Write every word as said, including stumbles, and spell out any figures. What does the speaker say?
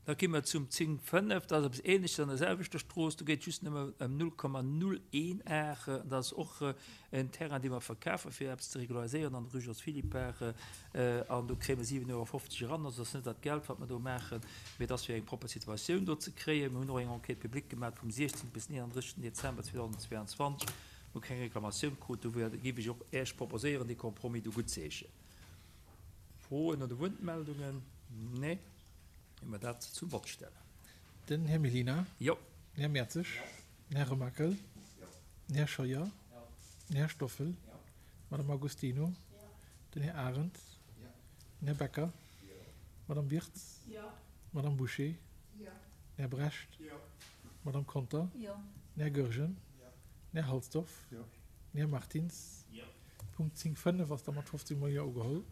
Da gi mer zum zéng fënnef, dat ass eppes Ähnleches an der selwechter Strooss, do geet et just nëmme ëm null Komma null een Ar. Dat ass och en Terrain, dee mer verkafen, fir eppes ze regulariséieren an der Rue Jos Philippart. An do kréie mer siwen Euro fofzeg eran. Also dat ass net dat Geld, wat mer do maachen, mee et ass fir eng propper Situatioun do ze kréien. Mir hunn och eng Enquête publique gemaach vum siechzéngten bis eenanddrëssegsten Dezember zweedausendzweianzwanzeg. Mir hu keng Reklamatioun krut. Dofir géif ech och Iech proposéieren, dee Compromis do guttzeheeschen. Froen oder Wuertmeldungen? Nee. Hu mer dat zum Vott stellen. Den Här Mellina. Jo. Den Här Mertzig. Den Här Remakel. Den Här Scheuer. Den Här Stoffel. D'Madame Agostino. Den Här Arendt. Den Här Becker. D'Madame Wirtz. D'Madame Bouché. Den Här Brecht. D'Madame Conter. Den Här Goergen. Den Här Halsdorf. Den Här Martins. Punkt zéng fënnef ass da mat fofzéng mol Jo ugeholl.